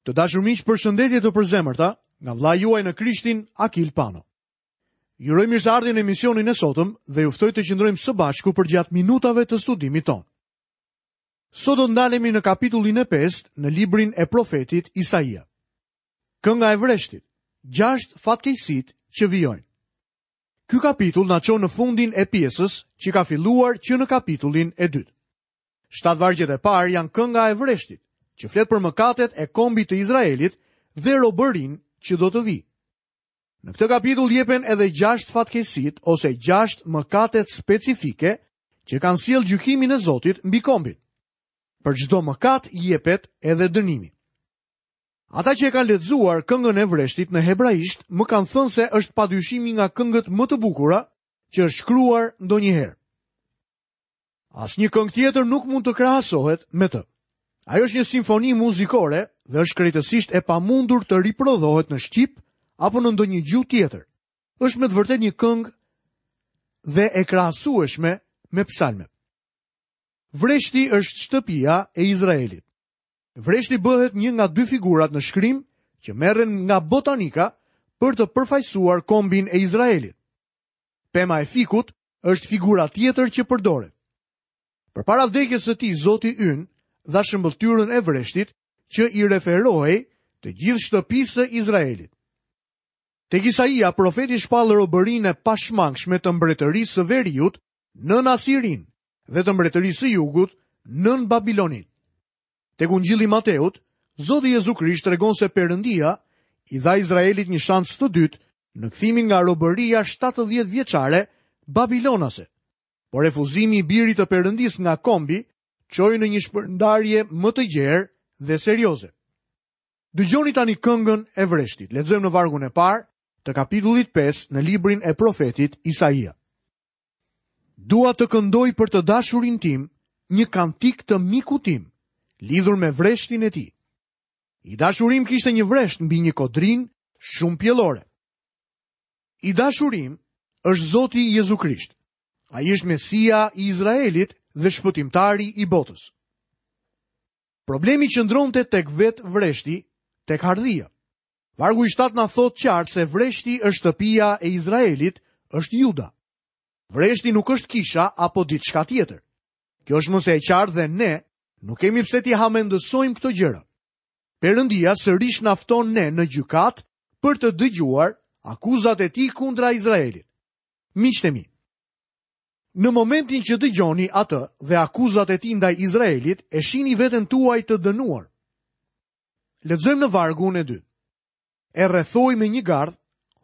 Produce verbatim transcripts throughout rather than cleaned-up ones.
Të dashur miq, përshëndetje të përzemërta nga vëllai juaj në Krishtin, Akil Pano. Ju uroj mirëseardhjen në emisionin e sotëm dhe ju ftoj të qëndrojmë së bashku përgjatë minutave të studimit tonë. Sot do të ndalemi në kapitullin e pestë në librin e profetit Isaia. Kënga e vreshtit, gjashtë fatkeqësitë që vijojnë. Ky kapitull na çon në fundin e pjesës që ka filluar që në kapitullin e dytë. Shtatë vargjet e parë janë kënga e vreshtit, që flet për mëkatet e kombit të Izraelit dhe robërinë që do të vijë. Në këtë kapitull jepen edhe gjashtë fatkeqësitë ose gjashtë mëkatet specifike që kanë sjellë gjykimin e Zotit mbi kombin. Për çdo mëkat jepet edhe dënimi. Ata që e kanë lexuar këngën e vreshtit në hebraisht më kanë thënë se është padyshimi nga këngët më të bukura që është shkruar ndonjëherë. Asnjë këngë tjetër nuk mund të krahasohet me të. Ajo është një simfoni muzikore dhe është krejtësisht e pamundur të riprodhohet në shqip apo në ndonjë gjuhë tjetër. Është me të vërtetë një këngë dhe e krahasueshme me psalmet. Vreshti është shtëpia e Izraelit. Vreshti bëhet një nga dy figurat në shkrim që merren nga botanika për të përfaqësuar kombin e Izraelit. Pema e fikut është figura tjetër që përdoret. Përpara vdekjes së tij, Zoti ynë dha shëmbëlltyrën e vreshtit që i referohej të gjithë shtëpisë së Izraelit. Tek Isaia, profeti shpall robërinë e pashmangshme të mbretërisë së veriut nën Asirin dhe të mbretërisë së jugut nën Babilonin. Tek Ungjilli i Mateut, Zoti Jezu Krisht tregon se Perëndia i dha Izraelit një shans të dytë në kthimin nga robëria shtatëdhjetë vjeçare babilonase. Por refuzimi i birit të Perëndisë nga kombi çoi në një shpërndarje më të gjerë dhe serioze. Dëgjoni tani këngën e vreshtit. Lexojmë në vargun e parë të kapitullit pesë në librin e profetit Isaia. Dua të këndoj për të dashurin tim një kantik të mikut tim, lidhur me vreshtin e tij. I dashurim kishte një vresht mbi një kodrinë shumë pjellore. I dashurim është Zoti Jezu Krisht. Ai është Mesia i Izraelit dhe shpëtimtari i botës. Problemi qëndronte tek vetë vreshti, tek hardhia. Vargu i shtatë na thotë qartë se vreshti është shtëpia e Izraelit, është Juda. Vreshti nuk është kisha apo diçka tjetër. Kjo është më se e qartë dhe ne nuk kemi pse t'i hamendësojmë këto gjëra. Perëndia sërish na fton ne në gjykat për të dëgjuar akuzat e tij kundra Izraelit. Miqtë e mi, në momentin që dëgjoni atë dhe akuzat e tij ndaj Izraelit, e shihni veten tuaj të dënuar. Lexojmë në vargun e dytë. E rrethoi me një gardh,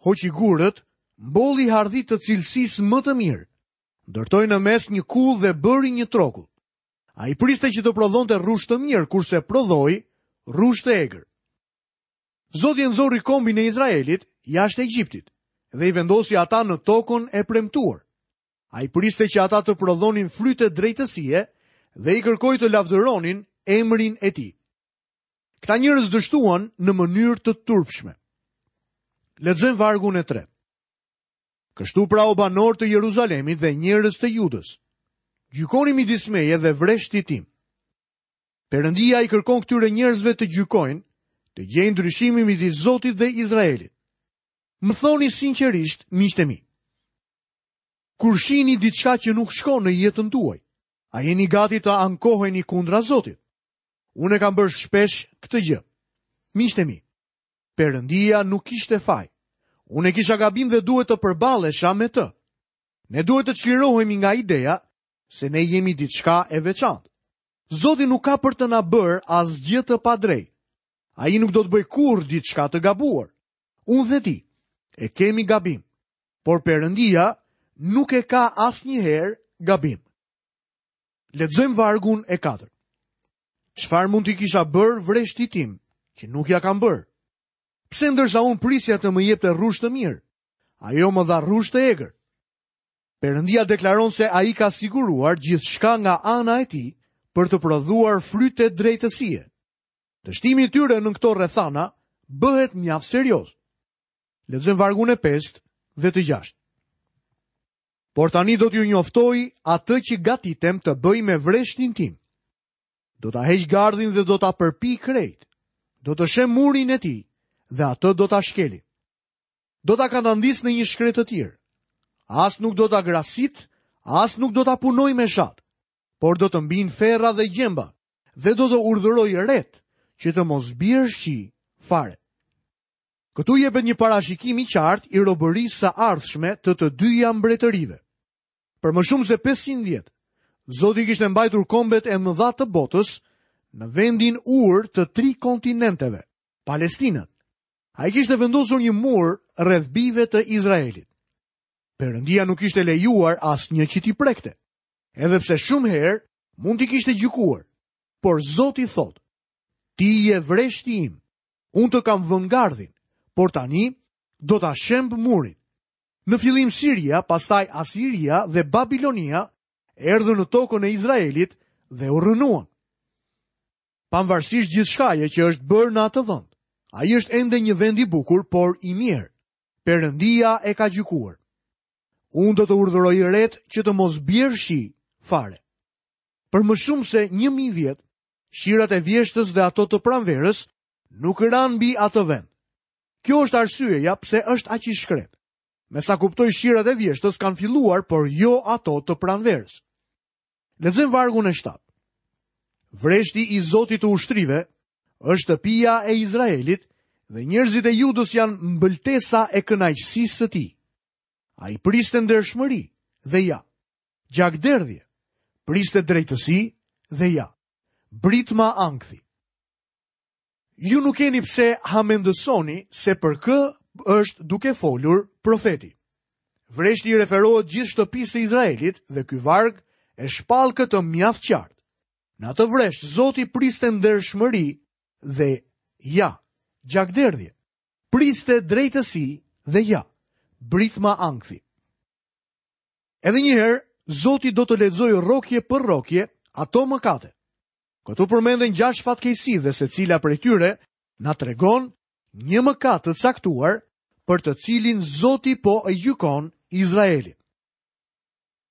hoqi gurët, mbolli hardhi të cilësisë më të mirë, ndërtoi në mes një kullë dhe bëri një trokull. Ai priste që të prodhonte rrush të mirë, kurse prodhoi rrush të egër. Zoti e nxori kombin e Izraelit jashtë Egjiptit dhe i vendosi ata në tokën e premtuar. Ai priste që ata të prodhonin fryte drejtësie dhe i kërkoi të lavdëronin emrin e tij. Këta njerëz dështuan në mënyrë të turpshme. Lexojmë vargun e tretë. Kështu pra o banor të Jeruzalemit dhe njerëz të Judës, gjykoni midis meje dhe vreshtit tim. Perëndia i kërkon këtyre njerëzve të gjykojnë, të gjejnë ndryshimin midis Zotit dhe Izraelit. Më thoni sinqerisht, miqtë e mi, kur shihni diçka që nuk shkon në jetën tuaj, a jeni gati të ankoheni kundra Zotit? Unë e kam bërë shpesh këtë gjë. Miqtë e mi, Perëndia nuk kishte faj. Unë e kisha gabim dhe duhet të përballesha me të. Ne duhet të çlirohemi nga ideja se ne jemi diçka e veçantë. Zoti nuk ka për të na bërë asgjë të padrejtë. Ai nuk do të bëjë kurrë diçka të gabuar. Unë dhe ti e kemi gabim, por Perëndia nuk e ka asnjëherë gabim. Lexojmë vargun e katërt. Çfarë mund t'i kisha bërë vreshtit tim, që nuk ja kam bërë? Pse ndërsa unë prisja të më jepte rrush të mirë, ajo më dha rrush të egër? Perëndia deklaron se ai ka siguruar gjithçka nga ana e tij për të prodhuar fryte drejtësie. Dështimi i tyre në këto rrethana bëhet mjaft serioz. Lexojmë vargun e pestë dhe të gjashtë. Por tani do t'ju njoftoj atë që gatitem të bëj me vreshtin tim. Do ta heq gardhin dhe do ta përpi krejt. Do të shemb murin e tij dhe atë do ta shkelin. Do ta kandandis në një shkretëtirë. As nuk do ta grasit, as nuk do ta punoj me shat, por do të mbin ferra dhe gjemba dhe do të urdhëroj ret që të mos bjerë shi fare. Këtu jepet një parashikim i qartë i robërisë së ardhshme të të dyja mbretërive. Për më shumë se pesëqind vjet, Zoti kishte mbajtur kombet e mëdha të botës në vendin urë të tri kontinenteve, Palestinën. Ai kishte vendosur një mur rreth bijve të Izraelit. Perëndia nuk kishte lejuar asnjë që t'i prekte, edhe pse shumë herë mund t'i kishte gjykuar. Por Zoti thotë: Ti je vreshti im, unë të kam vënë gardhin, por tani do ta shemb murin. Në fillim Siria, pastaj Asiria dhe Babilonia erdhën në tokën e Izraelit dhe u rrënuan. Pavarësisht gjithçkaje që është bërë në atë vend, ai është ende një vend i bukur, por i mirë. Perëndia e ka gjykuar. Unë do të urdhëroj ret që të mos bjerë shi fare. Për më shumë se një mijë vjet, shirat e vjeshtës dhe ato të pranverës nuk ranë mbi atë vend. Kjo është arsyeja pse është aq i shkret. Me sa kuptoj, shirat e vjeshtës kanë filluar, por jo ato të pranverës. Lexojmë vargun e shtatë. Vreshti i Zotit të ushtrive është shtëpia e Izraelit dhe njerëzit e Judës janë mbëltesa e kënaqësisë së tij. Ai priste ndershmëri dhe ja, gjakderdhje, priste drejtësi dhe ja, britma ankthi. Ju nuk keni pse hamendësoni se për kë është duke folur profeti. Vreshti i referohet gjithë shtëpisë së Izraelit dhe ky varg e shpall këtë mjaft qartë. Në atë vresht Zoti priste ndershmëri dhe ja, gjakderdhje. Priste drejtësi dhe ja, britma ankthi. Edhe një herë, Zoti do të lexojë rrokje për rrokje ato mëkate. Këtu përmenden gjashtë fatkeqësi dhe secila prej tyre na tregon një mëkat të caktuar për të cilin Zoti po e gjykon Izraelin.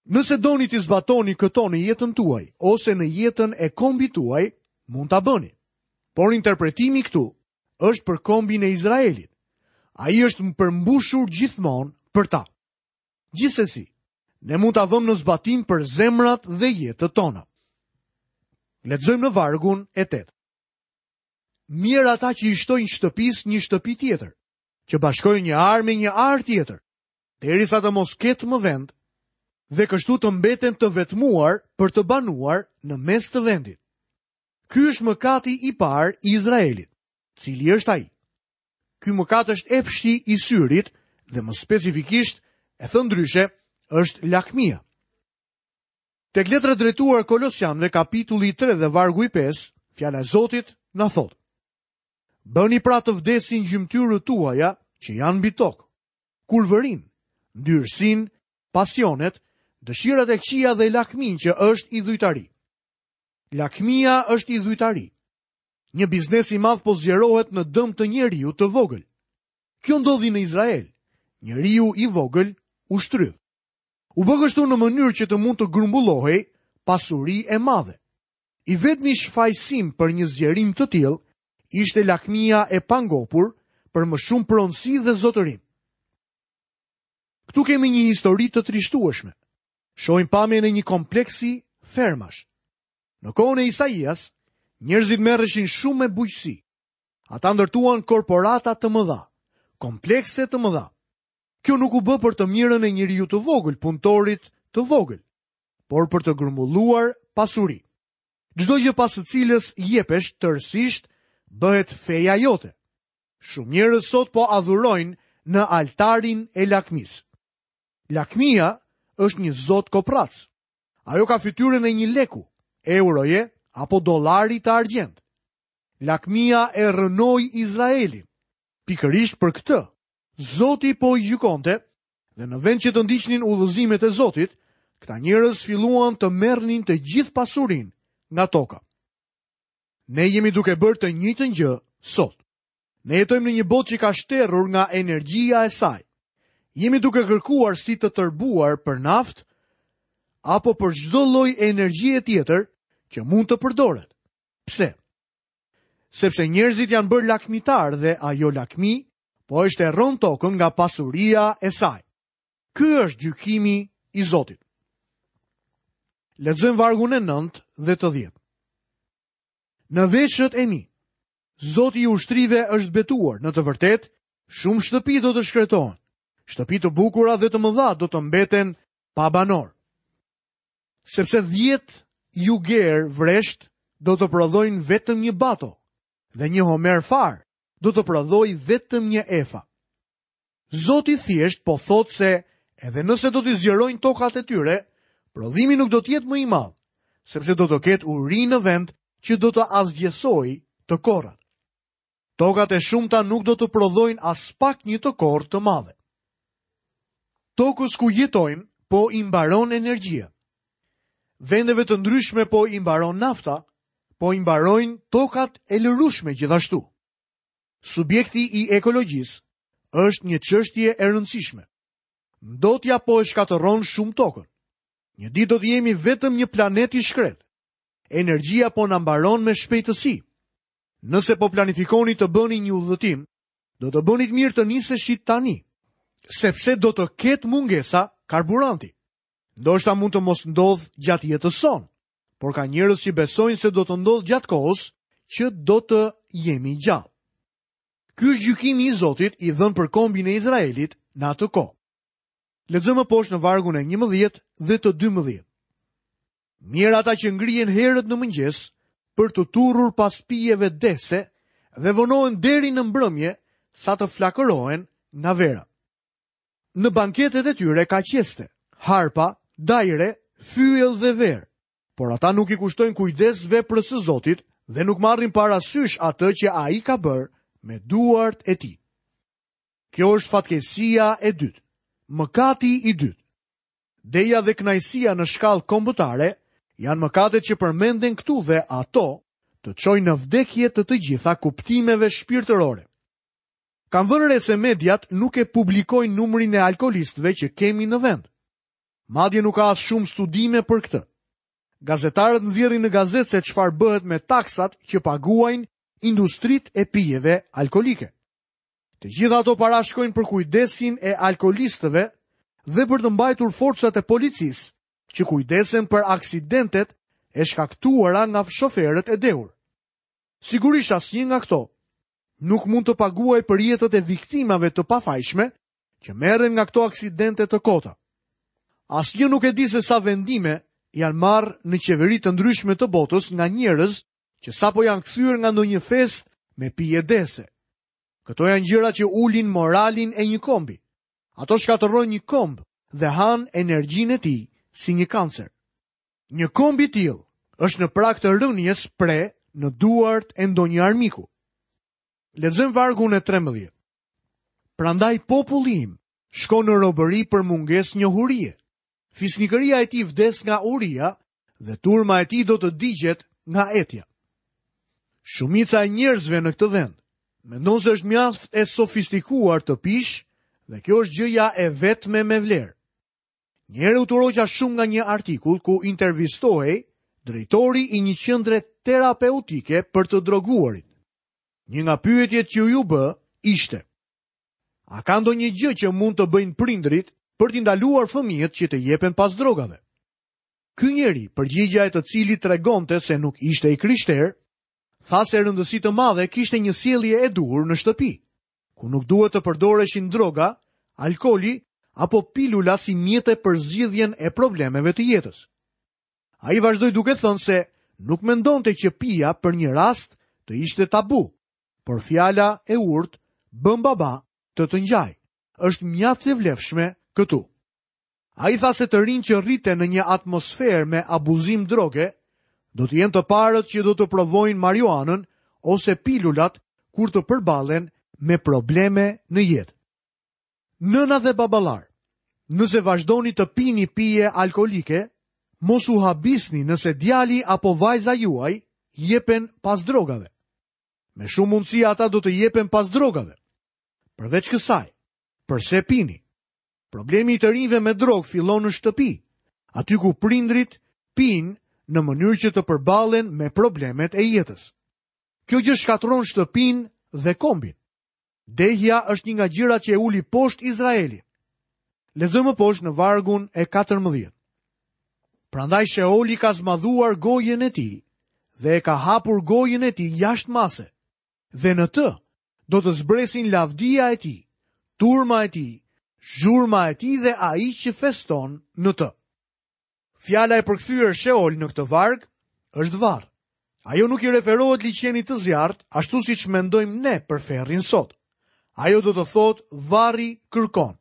Nëse doni të zbatoni këto në jetën tuaj ose në jetën e kombit tuaj, mund ta bëni. Por interpretimi këtu është për kombin e Izraelit. Ai është përmbushur gjithmonë për ta. Gjithsesi, ne mund ta vëmë në zbatim për zemrat dhe jetët tona. Lexojmë në vargun e tetë. Mirë ata që i shtojnë shtëpisë një shtëpi tjetër, që bashkojnë një arë me një arë tjetër, derisa të mos ketë më vend, dhe kështu të mbeten të vetmuar për të banuar në mes të vendit. Ky është mëkati i parë i Izraelit. Cili është ai? Ky mëkat është epshi i syrit dhe më specifikisht, e thënë ndryshe, është lakmia. Tek letra drejtuar Kolosianëve, kapitulli tre dhe vargu i pesë, fjala e Zotit na thotë: Bëni pra të vdesin gjymtyrët tuaja që janë mbi tokë, kurvërin, ndyrësinë, pasionet, dëshirat e këqija dhe lakmin që është idhujtari. Lakmia është idhujtari. Një biznes i madh po zgjerohet në dëm të njeriu të vogël. Kjo ndodhi në Izrael. Njeriu i vogël u shtrydh. U bë kështu në mënyrë që të mund të grumbullohej pasuri e madhe. I vetmi shfajësim për një zgjerim të tillë ishte lakmia e pangopur për më shumë pronësi dhe zotërim. Këtu kemi një histori të trishtueshme. Shohim pamjen e një kompleksi fermash. Në kohën e Isaias, njerëzit merreshin shumë me bujqësi. Ata ndërtuan korporata të mëdha, komplekse të mëdha. Kjo nuk u bë për të mirën e njeriu të vogël, punëtorit të vogël, por për të grumbulluar pasuri. Çdo gjë pas së cilës jepesh tërësisht bëhet feja jote. Shumë njerëz sot po adhurojnë në altarin e lakmisë. Lakmia është një zot koprac. Ajo ka fytyrën e një leku, euroje apo dollari të argjend. Lakmia e rrënoi Izraelin. Pikërisht për këtë, Zoti po i gjykonte dhe në vend që të ndiqnin udhëzimet e Zotit, këta njerëz filluan të merrnin të gjithë pasurinë nga toka. Ne jemi duke bërë të njëjtën gjë sot. Ne jetojmë në një botë që ka shterrur nga energjia e saj. Jemi duke kërkuar si të tërbuar për naftë apo për çdo lloj energjie tjetër që mund të përdoret. Pse? Sepse njerëzit janë bërë lakmitar dhe ajo lakmi po e shterron tokën nga pasuria e saj. Ky është gjykimi i Zotit. Lexojmë vargun e nëntë dhe të dhjetë. Në veshët e mi, Zoti i ushtrive është betuar, në të vërtetë, shumë shtëpi do të shkretohen. Shtëpi të bukura dhe të mëdha do të mbeten pa banor. Sepse dhjetë juger vresht do të prodhojnë vetëm një bato dhe një homer far do të prodhojë vetëm një efa. Zoti thjesht po thotë se edhe nëse do t'i zgjerojnë tokat e tyre, prodhimi nuk do të jetë më i madh, sepse do të ketë uri në vend që do të asgjësojë të korrat. Tokat e shumta nuk do të prodhojnë as pak një të korrë të madhe. Tokës ku jetojmë po i mbaron energjia. Vendeve të ndryshme po i mbaron nafta, po i mbarojnë tokat e lërushme gjithashtu. Subjekti i ekologjisë është një çështje e rëndësishme. Ndotja po e shkatërron shumë tokën. Një ditë do të jemi vetëm një planet i shkret. Energjia po na mbaron me shpejtësi. Nëse po planifikoni të bëni një udhëtim, do të bënit mirë të niseshit tani, sepse do të ketë mungesa karburanti. Ndoshta mund të mos ndodh gjatë jetës sonë, por ka njerëz që besojnë se do të ndodh gjatë kohës që do të jemi gjallë. Ky është gjykimi i Zotit i dhënë për kombin e Izraelit në atë kohë. Lexojmë poshtë në vargun e njëmbëdhjetë dhe të dymbëdhjetë. Mjerë ata që ngrihen herët në mëngjes për të turrur pas pijeve dese dhe vonohen deri në mbrëmje sa të flakërohen nga vera. Në banketet e tyre ka qeste, harpa, dajre, fyell dhe verë, por ata nuk i kushtojnë kujdes veprës së Zotit dhe nuk marrin parasysh atë që ai ka bërë me duart e tij. Kjo është fatkeqësia e dytë, mëkati i dytë. Deja dhe kënaqësia në shkallë kombëtare janë mëkatet që përmenden këtu dhe ato të çojnë në vdekje të të gjitha kuptimeve shpirtërore. Kam vënë re se mediat nuk e publikojnë numrin e alkoolistëve që kemi në vend. Madje nuk ka as shumë studime për këtë. Gazetarët nxjerrin në gazetë se çfarë bëhet me taksat që paguajnë industritë e pijeve alkoolike. Të gjitha ato para shkojnë për kujdesin e alkoolistëve dhe për të mbajtur forcat e policisë që kujdesen për aksidentet e shkaktuara nga shoferët e dehur. Sigurisht asnjë nga këto nuk mund të paguajë për jetët e viktimave të pafajshme që merren nga këto aksidente të kota. Asnjë nuk e di se sa vendime janë marrë në qeveri të ndryshme të botës nga njerëz që sapo janë kthyer nga ndonjë festë me pije dese. Këto janë gjëra që ulin moralin e një kombi. Ato shkatërrojnë një komb dhe hanë energjinë e tij si një kancer. Një komb i tillë është në prag të rënies pre në duart e ndonjë armiku. Lexojmë vargun e trembëdhjetë. Prandaj populli im shkon në robëri për mungesë njohurie. Fisnikëria e tij vdes nga uria dhe turma e tij do të digjet nga etja. Shumica e njerëzve në këtë vend mendon se është mjaft e sofistikuar të pish dhe kjo është gjëja e vetme me vlerë. Një herë u tërhoqa shumë nga një artikull ku intervistohej drejtori i një qendre terapeutike për të droguarit. Një nga pyetjet që ju bë ishte: A ka ndonjë gjë që mund të bëjnë prindrit për t'i ndaluar fëmijët që të jepen pas drogave? Ky njeri, përgjigjja e të cilit tregonte se nuk ishte i krishterë, tha se rëndësi të madhe kishte një sjellje e duhur në shtëpi, ku nuk duhet të përdoreshin droga, alkooli apo pilula si mjete për zgjidhjen e problemeve të jetës. Ai vazhdoi duke thënë se nuk mendonte që pija për një rast të ishte tabu, por fjala e urtë bën baba të të ngjaj është mjaft e vlefshme këtu. Ai tha se të rinj që rriten në një atmosferë me abuzim droge do të jenë të parët që do të provojnë marijuanën ose pilulat kur të përballen me probleme në jetë. Nëna dhe baballar, nëse vazhdoni të pini pije alkoolike, mos u habisni nëse djali apo vajza juaj jepen pas drogave. Me shumë mundësi ata do të jepen pas drogave. Përveç kësaj, përse pini? Problemi i të rinjve me drogë fillon në shtëpi, aty ku prindrit pinë në mënyrë që të përballen me problemet e jetës. Kjo gjë shkatërron shtëpinë dhe kombin. Dehja është një nga gjërat që e uli poshtë Izraelin. Lexojmë më poshtë në vargun e katërmbëdhjetë. Prandaj Sheoli ka zmadhuar gojën e tij dhe e ka hapur gojën e tij jashtë mase, dhe në të do të zbresin lavdia e tij, turma e tij, zhurma e tij dhe ai që feston në të. Fjala e përkthyer Sheol në këtë varg është varr. Ajo nuk i referohet liqenit të zjarrt, ashtu siç mendojmë ne për ferrin sot. Ajo do të thotë varri kërkon.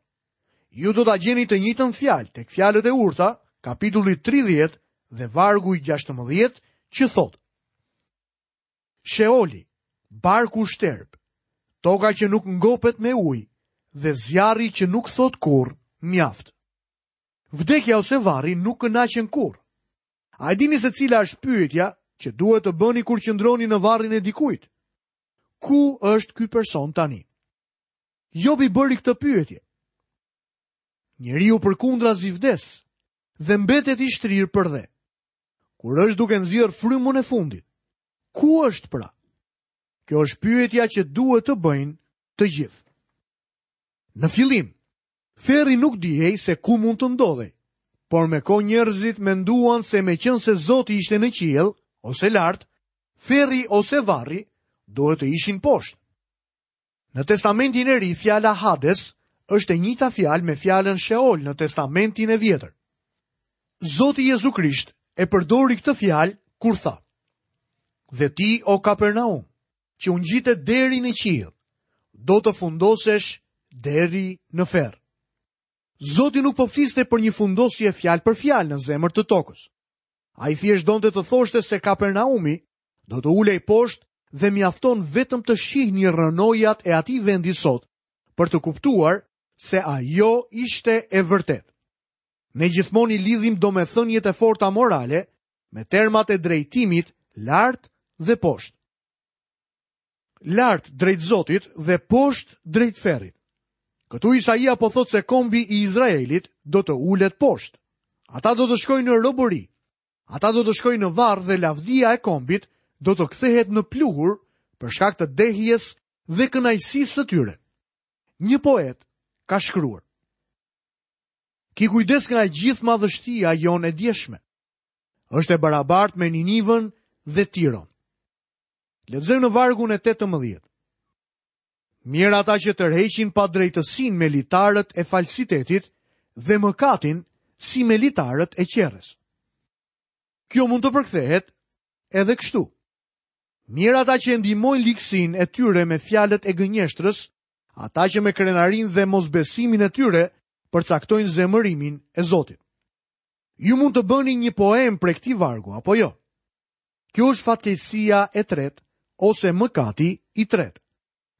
Ju do ta gjeni të njëjtën fjalë tek fjalët e urta, kapitulli tridhjetë dhe vargu i gjashtëmbëdhjetë, që thotë: Sheoli, barku shterp, toka që nuk ngopet me ujë dhe zjarri që nuk thot kurrë mjaft. Vdekja ose varri nuk kënaqen kurrë. A e dini se cila është pyetja që duhet të bëni kur qëndroni në varrin e dikujt? Ku është ky person tani? Jobi bëri këtë pyetje. Njeriu përkundrazi vdes dhe mbetet i shtrirë për dhe. Kur është duke nxjerr frymën e fundit, ku është pra? Kjo është pyetja që duhet të bëjnë të gjithë. Në fillim, ferri nuk dihej se ku mund të ndodhej, por me kohë njerëzit menduan se meqense Zoti ishte në qiell ose lart, ferri ose varri duhet të ishin poshtë. Në Testamentin e Ri, fjala Hades është e njëjta fjalë me fjalën Sheol në Testamentin e Vjetër. Zoti Jezu Krisht e përdori këtë fjalë kur tha: Dhe ti, o Kapernaum, që u ngjitet deri në qiell, do të fundosesh deri në ferr. Zoti nuk po fliste për një fundosje fjalë për fjalë në zemër të tokës. Ai thjesht donte të thoshte se Kapernaumi do të ulej poshtë dhe mjafton vetëm të shihni rrënojat e atij vendi sot për të kuptuar se ajo ishte e vërtetë. Ne gjithmonë i lidhim domethëniet e forta morale me termat e drejtimit lart dhe poshtë. Lart drejt Zotit dhe poshtë drejt ferrit. Këtu Isaia po thotë se kombi i Izraelit do të ulet poshtë. Ata do të shkojnë në robëri. Ata do të shkojnë në varr dhe lavdia e kombit do të kthehet në pluhur për shkak të dehjes dhe kënaqësisë së tyre. Një poet ka shkruar: Ki kujdes nga e gjithë madhështia jonë e djeshme. Është e barabartë me Ninivën dhe Tiron. Lexojmë në vargun e tetëmbëdhjetë. Mirë ata që tërheqin padrejtësinë me litarët e falsitetit dhe mëkatin si me litarët e qerres. Kjo mund të përkthehet edhe kështu. Mirë ata që ndihmojnë ligësinë e tyre me fjalët e gënjeshtrës, ata që me krenarinë dhe mosbesimin e tyre përcaktojnë zemërimin e Zotit. Ju mund të bëni një poem për këtij vargu, apo jo? Kjo është fatkeqësia e tretë ose mëkati i tretë.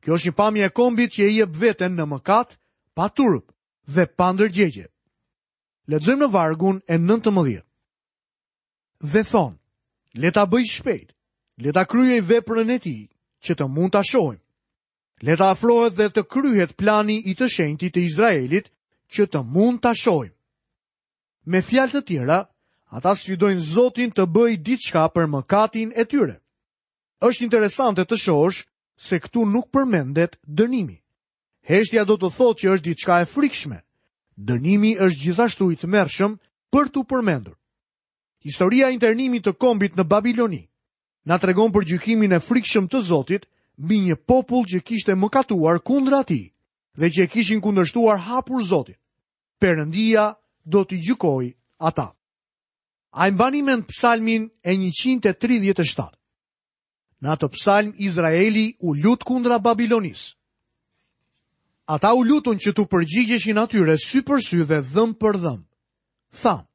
Kjo është një pamje e kombit që e jep veten në mëkat, pa turp dhe pa ndërgjegje. Lexojmë në vargun e nëntëmbëdhjetë. Dhe thon, le ta bëj shpejt, le ta kryej veprën e tij, që të mund ta shohim. Le ta afrohet dhe të kryhet plani i të shenjtit të Izraelit, që të mund ta shohim. Me fjalë të tjera, ata sfidojnë Zotin të bëjë diçka për mëkatin e tyre. Është interesante të shohësh se këtu nuk përmendet dënimi. Heshtja do të thotë që është diçka e frikshme. Dënimi është gjithashtu i tmerrshëm për t'u përmendur. Historia e internimit të kombit në Babiloni na tregon për gjykimin e frikshëm të Zotit mbi një popull që kishte mëkatuar kundra atij dhe që e kishin kundërshtuar hapur Zotin. Perëndia do t'i gjykojë ata. A e mbani mend psalmin e njëqind e tridhjetë e shtatë? Në atë psalm Izraeli u lut kundra Babilonisë. Ata u lutën që t'u përgjigjeshin atyre sy për sy dhe dhëmb për dhëmb. Thanë: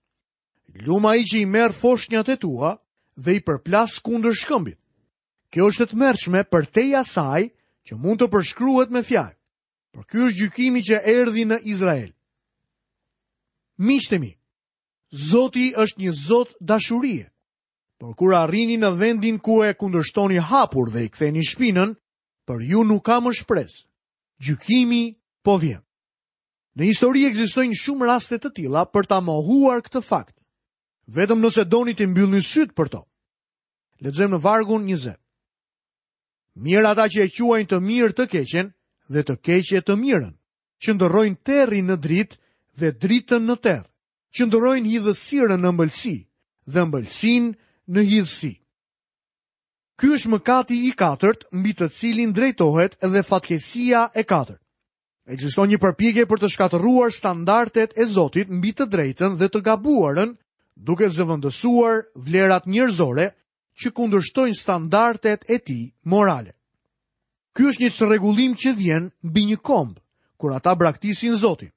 Lum ai që i merr foshnjat e tua dhe i përplas kundër shkëmbit. Kjo është e tmerrshme përtej asaj që mund të përshkruhet me fjalë. Por ky është gjykimi që erdhi në Izrael. Miqtë e mi, Zoti është një Zot dashurie. Por kur arrini në vendin ku e kundërshtoni hapur dhe i ktheni shpinën, për ju nuk ka më shpresë. Gjykimi po vjen. Në histori ekzistojnë shumë raste të tilla për ta mohuar këtë fakt. Vetëm nëse doni të mbyllni sytë për to. Lexojmë në vargun njëzet. Mjerë ata që e quajnë të mirë të keqen dhe të keqe të mirën, që ndërrojnë terrin në dritë dhe dritën në terr, që ndërrojnë hidhësirën në ëmbëlsi dhe ëmbëlsinë në hidhësi. Ky është mëkati i katërt mbi të cilin drejtohet edhe fatkeqësia e katërt. Ekziston një përpjekje për të shkatërruar standardet e Zotit mbi të drejtën dhe të gabuarën, duke zëvendësuar vlerat njerëzore që kundërshtojnë standardet e tij morale. Ky është një çrregullim që vjen mbi një komb, kur ata braktisin Zotin,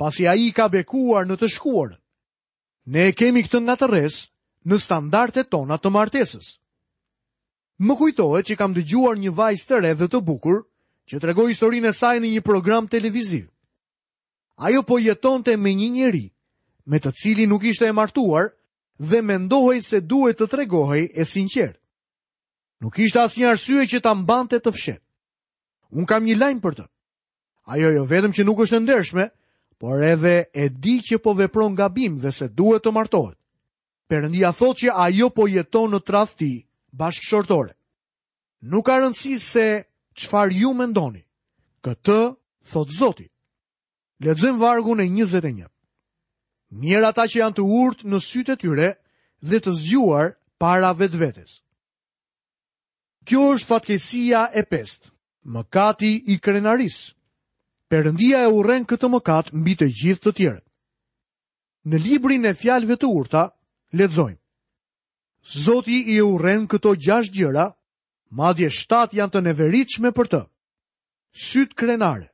pasi ai i ka bekuar në të shkuarën. Ne e kemi këtë ngatërresë në standardet tona të martesës. Më kujtohet që kam dëgjuar një vajzë të re dhe të bukur që tregoi historinë e saj në një program televiziv. Ajo po jetonte me një njeri, me të cilin nuk ishte e martuar dhe mendohej se duhet të tregohej e sinqertë. Nuk ishte asnjë arsye që ta mbante të fshehtë. Unë kam një lajm për të. Ajo jo vetëm që nuk është e ndershme, por edhe e di që po vepron gabim dhe se duhet të martohet. Perëndia thotë që ajo po jeton në tradhti bashkëshortore. Nuk ka rëndësi se çfarë ju mendoni. Këtë thotë Zoti. Lexojmë vargun e njëzet e një. Mjerë ata që janë të urtë në sytë e tyre dhe të zgjuar para vetvetes. Kjo është fatkeqësia e pestë, mëkati i krenarisë. Perëndia e urren këtë mëkat mbi të gjithë të tjerët. Në librin e fjalëve të urta lexojmë: Zoti i urren këto gjashtë gjëra, madje shtatë janë të neveritshme për të. Syt krenare,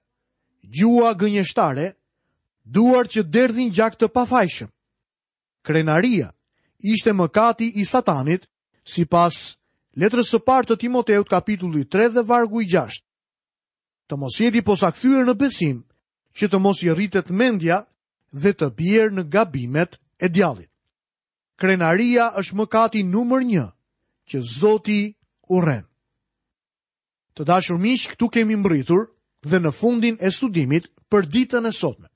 gjua gënjeshtare, duart që derdhin gjak të pafajshëm. Krenaria ishte mëkati i Satanit, sipas letrës së parë të Timoteut kapitulli tre dhe vargu i gjashtë. Të mos jeti posakthyer në besim, që të mos i rritet mendja dhe të bjerë në gabimet e djallit. Krenaria është mëkati numër një që Zoti urren. Të dashur miq, këtu kemi mbërritur dhe në fundin e studimit për ditën e sotme.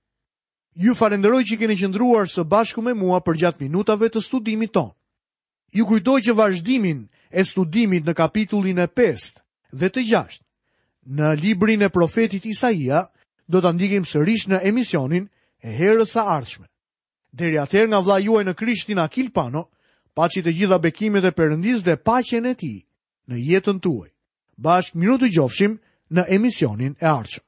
Ju falenderoj që keni qëndruar së bashku me mua përgjatë minutave të studimit tonë. Ju kujtoj që vazhdimin e studimit në kapitullin e pestë dhe të gjashtë në librin e profetit Isaia do ta ndjekim sërish në emisionin e herës së ardhshme. Deri atëherë nga vëllai juaj në Krishtin Akil Pano, paçi të gjitha bekimet e Perëndisë dhe paqen e tij në jetën tuaj. Bashkë mirudëgjofshim në emisionin e ardhshëm.